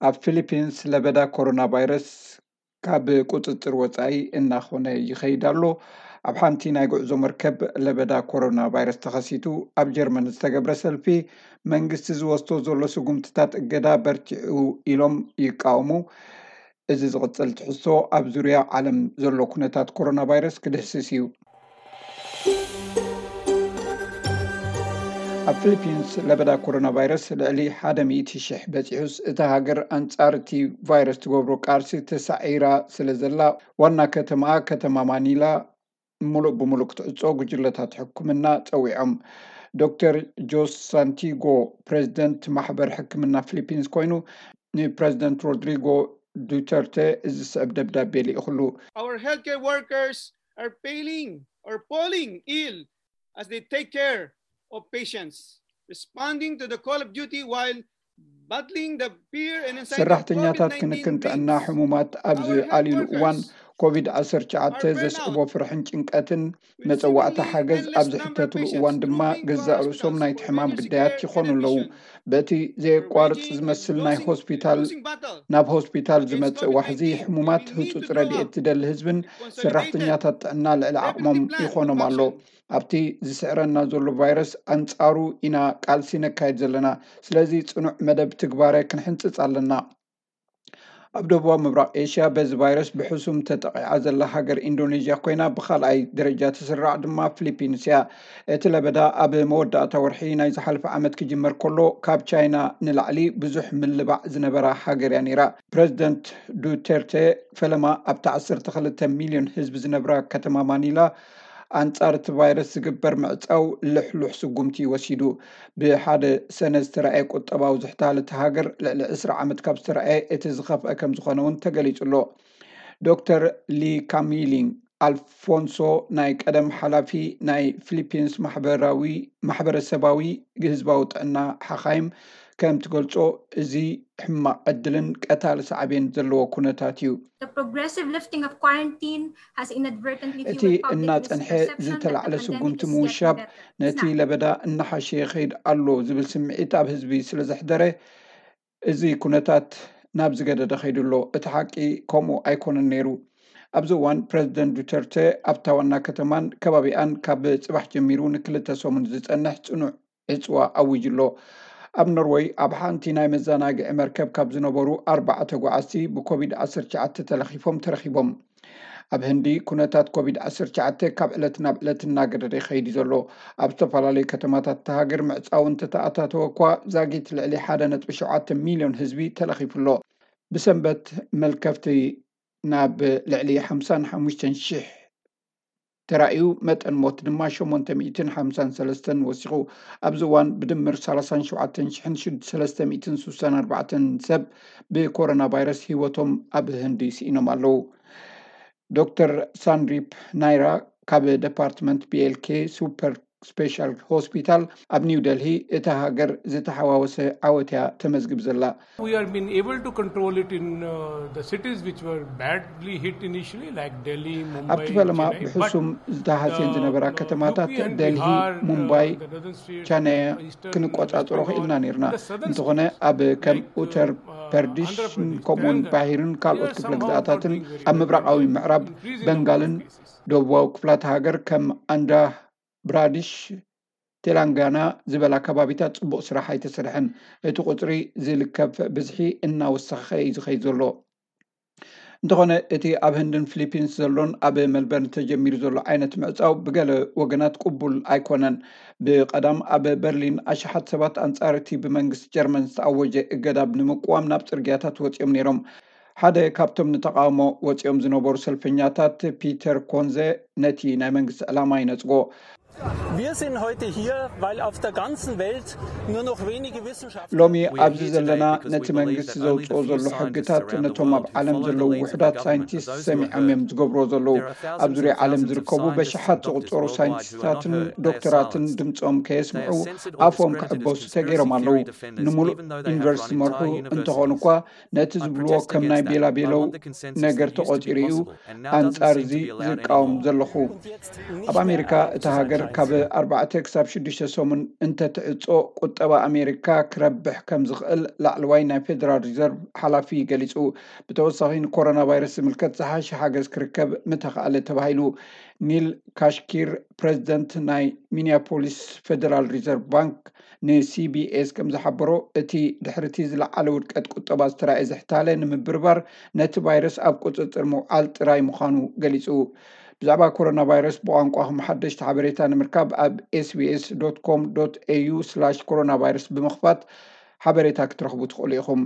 ኣብ ፊሊፒንስ ለበዳ ኮሮና ቫይረስ ካብ ቁፅፅር ወፃኢ እናኾነ ይኸይድ ኣሎ። ኣብ ሓንቲ ናይ ጉዕዞ መርከብ ለበዳ ኮሮና ቫይረስ ተኸሲቱ ኣብ ጀርመን ዝተገብረ ሰልፊ መንግስቲ ዝወስዶ ዘሎ ስጉምትታት እገዳ በርቲዑ ኢሎም ይቃወሙ። እዚ ዝቕፅል ትሕዝቶ ኣብ ዙርያ ዓለም ዘሎ ኩነታት ኮሮና ቫይረስ ክድህስስ እዩ። ኣብ ፊሊፒንስ ለበዳ ኮሮና ቫይረስ ልዕሊ ሓደ ሚእቲ ሽሕ በፂሑስ እታ ሃገር ኣንፃር እቲ ቫይረስ ትገብሮ ቃልሲ ተሳዒራ ስለ ዘላ ዋና ከተማ ከተማ ማኒላ ሙሉእ ብሙሉእ ክትዕጾ ጉጅለታት ሕክምና ጸዊዖም። ዶክተር ጆስ ሳንቲጎ ፕሬዚደንት ማሕበር ሕክምና ፊሊፒንስ ኮይኑ ንፕሬዚደንት ሮድሪጎ ዱተርተ እዚ ዝስዕብ ደብዳቤ ልኢኹሉ። Our healthcare workers are failing or falling ill as they take care of patients, responding to the call of duty while battling the fear and anxiety of ሰራሕተኛታት COVID-19 ክንክን ጥዕና brings. ሕሙማት ኣብ Our health ዝኣልዩሉ እዋን workers ኮቪድ ዓሰርተ ትሽዓተ are burnt ዘስዕቦ out ፍርሕን ጭንቀትን with መጸዋዕታ seemingly ሓገዝ endless ኣብ number of ዝሕተትሉ patients እዋን ድማ trooping for ገዛእ ርእሶም hospitals ናይቲ for ሕማም emergency ግዳያት care and ይኾኑ ኣለዉ። admission. በቲ We're ዘየቋርጽ waging a ዝመስል ናይ losing, ሆስፒታል losing battle ናብ ሆስፒታል against ዝመጽእ COVID ዋሕዚ nineteen. We ሕሙማት need ህጹጽ to do ረድኤት all ዝደሊ ህዝብን with concerted ሰራሕተኛታት ጥዕና ልዕሊ ዓቕሞም preventive plan ይኾኖም of ኣሎ። action. ኣብቲ ዝስዕረና ዘሎ ቫይረስ ኣንጻሩ ኢና ቃልሲ ነካይድ ዘለና። ስለዚ ጽኑዕ መደብ ትግባረ ክንሕንጽጽ ኣለና። ኣብ ደቡባዊ ምብራቕ ኤሽያ በዚ ቫይረስ ብሕሱም ተጠቒዓ ዘላ ሃገር ኢንዶኔዥያ ኮይና፣ ብኻልኣይ ደረጃ ትስራዕ ድማ ፊሊፒንስ እያ። እቲ ለበዳ ኣብ መወዳእታ ወርሒ ናይ ዝሓለፈ ዓመት ክጅመር ከሎ፣ ካብ ቻይና ንላዕሊ ብዙሕ ምልባዕ ዝነበራ ሃገር እያ ነይራ። ፕሬዚደንት ዱቴርቴ ፈለማ ኣብቲ ዓሰርተ ክልተ ሚልዮን ህዝቢ ዝነብራ ከተማ ማኒላ ኣንጻር እቲ ቫይረስ ዝግበር ምዕጻው ልሕሉሕ ስጉምቲ እዩ ወሲዱ። ብሓደ ሰነ ዝተረኣየ ቁጠባዊ ዝሕታል እታ ሃገር ልዕሊ ዕስራ ዓመት ካብ ዝተረኣየ እቲ ዝኸፍአ ከም ዝኾነ እውን ተገሊጹ ኣሎ። ዶክተር ሊ ካሚሊን ኣልፎንሶ ናይ ቀደም ሓላፊ ናይ ፊሊፒንስ ማሕበራዊ ማሕበረሰባዊ ህዝባዊ ጥዕና ሓኻይም ከም ትገልጾ እዚ ሕማቕ ዕድልን ቀታሊ ሳዕቤን ዘለዎ ኩነታት እዩ። The progressive lifting of quarantine has inadvertently እቲ fueled public እናጸንሐ misperception that the ዝተላዕለ pandemic ስጉምቲ is ምውሻብ getting better. ነቲ ለበዳ እናሓሸ ይኸይድ ኣሎ ዝብል ስምዒት ኣብ ህዝቢ ስለ ዘሕደረ እዚ ኩነታት ናብ ዝገደደ ከይዱ ኣሎ። እቲ ሓቂ ከምኡ ኣይኮነን ነይሩ። ኣብዚ እዋን ፕረዚደንት ዱተርተ ኣብታ ዋና ከተማን ከባቢኣን ካብ ጽባሕ ጀሚሩ ንክልተ ሰሙን ዝጸንሕ ጽኑዕ ዕጽዋ ኣዊጁ ኣሎ። ኣብ ኖርወይ ኣብ ሓንቲ ናይ መዘናግዒ መርከብ ካብ ዝነበሩ ኣርባዓ ተጓዓዝቲ ብኮቪድ ዓሰርተ ትሽዓተ ተለኺፎም ተረኺቦም። ኣብ ህንዲ ኩነታት ኮቪድ ዓሰርተ ትሽዓተ ካብ ዕለት ናብ ዕለት እናገደደ ይኸይድ እዩ ዘሎ። ኣብ ዝተፈላለዩ ከተማታት እታ ሃገር ምዕጻው እንተተኣታተወ እኳ ዛጊት ልዕሊ ሓደ ነጥቢ ሸውዓተ ሚልዮን ህዝቢ ተለኺፉ ኣሎ። ብሰንበት መልከፍቲ ናብ ልዕሊ ሓምሳን ሓሙሽተን ሽሕ ተራእዩ፣ መጠን ሞት ድማ ሸሞንተ ሚእትን ሓምሳን ሰለስተን ወሲኹ። ኣብዚ እዋን ብድምር ሰላሳን ሸውዓተን ሽሕን ሰለስተ ሚእትን ስሳን ኣርባዕተን ሰብ ብኮሮና ቫይረስ ህይወቶም ኣብ ህንዲ ስኢኖም ኣለዉ። ዶክተር ሳንድሪፕ ናይራ ካብ ደፓርትመንት ቢኤልኬ ሱፐር ስፔሻል ሆስፒታል ኣብ ኒው ደልሂ እታ ሃገር ዝተሓዋወሰ ዓወት እያ ተመዝግብ ዘላ። We have been able to control it in uh, the cities which were badly hit initially, like Delhi, Mumbai, ኣብቲ ፈለማ Chennai. But ብሕሱም ዝተሃስየን ዝነበራ uh, ከተማታት U P and ደልሂ፣ Bihar, uh, ሙምባይ፣ the northern states, ቻነያ uh, eastern, uh, ክንቆጻጸሮ West Bengal, ክኢልና ነይርና። and the southern እንተኾነ states, ኣብ ከም like, uh, ኡተር uh, ፐርዲሽን Andhra Pradesh, ከምኡውን Telangana, ባሂርን they ካልኦት are ክፍለ somehow ግዝኣታትን not doing very ኣብ well. ምብራቓዊ They are ምዕራብ increasing the በንጋልን number of cases. ደቡባዊ ክፍላተ ሃገር ከም ኣንድራ ብራዲሽ፣ ቴላንጋና ዝበላ ከባቢታት ጽቡቕ ስራሕ ኣይተሰርሐን። እቲ ቁጽሪ ዝልከፍ ብዝሒ እናወሰኸ እዩ ዝኸይድ ዘሎ። እንተኾነ እቲ ኣብ ህንድን ፊሊፒንስ ዘሎን ኣብ መልበርን ተጀሚሩ ዘሎ ዓይነት ምዕጻው ብገለ ወገናት ቅቡል ኣይኮነን። ብቐዳም ኣብ በርሊን ኣሽሓት ሰባት ኣንጻር እቲ ብመንግስቲ ጀርመን ዝተኣወጀ እገዳ ንምቅዋም ናብ ጽርግያታት ወጺኦም ነይሮም። ሓደ ካብቶም ንተቓውሞ ወጺኦም ዝነበሩ ሰልፈኛታት ፒተር ኮንዘ ነቲ ናይ መንግስቲ ዕላማ ይነጽጎ። Wir sind heute hier, weil auf der ganzen Welt nur noch wenige Wissenschaftler ሎሚ ኣብዚ ዘለና ነቲ መንግስቲ ዘውፅኦ ዘሎ ሕግታት ነቶም ኣብ ዓለም ዘለዉ ውሑዳት ሳይንቲስት ሰሚዖም እዮም ዝገብርዎ ዘለዉ። ኣብ ዙርያ ዓለም ዝርከቡ በሽሓት ዝቑፀሩ ሳይንቲስታትን ዶክተራትን ድምፆም ከየስምዑ ኣፎም ክዕበሱ ተገይሮም ኣለዉ። ንምሉእ ዩኒቨርሲቲ መርሑ እንተኾኑ እኳ ነቲ ዝብልዎ ከም ናይ ቤላቤለው ነገር ተቖፂሩ እዩ ኣንፃር እዚ ዝቃወም ዘለኹ። ኣብ ኣሜሪካ እታ ሃገር ካብ ኣርባዕተ ክሳብ ሽዱሽተ ሰሙን እንተትዕጾ፣ ቁጠባ ኣሜሪካ ክረብሕ ከም ዝኽእል ላዕለዋይ ናይ ፌደራል ሪዘርቭ ሓላፊ ገሊጹ። ብተወሳኺ፣ ንኮሮና ቫይረስ ዝምልከት ዝሓሸ ሓገዝ ክርከብ ምተኻእለ ተባሂሉ። ኒል ካሽኪር፣ ፕሬዚደንት ናይ ሚኒያፖሊስ ፌደራል ሪዘርቭ ባንክ፣ ንሲቢኤስ ከም ዝሓበሮ፣ እቲ ድሕርቲ ዝለዓለ ውድቀት ቁጠባ ዝተራእየ ዝሕታለ ንምብርባር፣ ነቲ ቫይረስ ኣብ ቁጽጽር ምውዓል ጥራይ ምዃኑ ገሊጹ። ብዛዕባ ኮሮና ቫይረስ ብቋንቋኹም ሓደሽቲ ሓበሬታ ንምርካብ፣ ኣብ ኤስቢኤስ ዶት ኮም ዶት ኤዩ ስላሽ ኮሮና ቫይረስ ብምኽፋት ሓበሬታ ክትረኽቡ ትኽእሉ ኢኹም።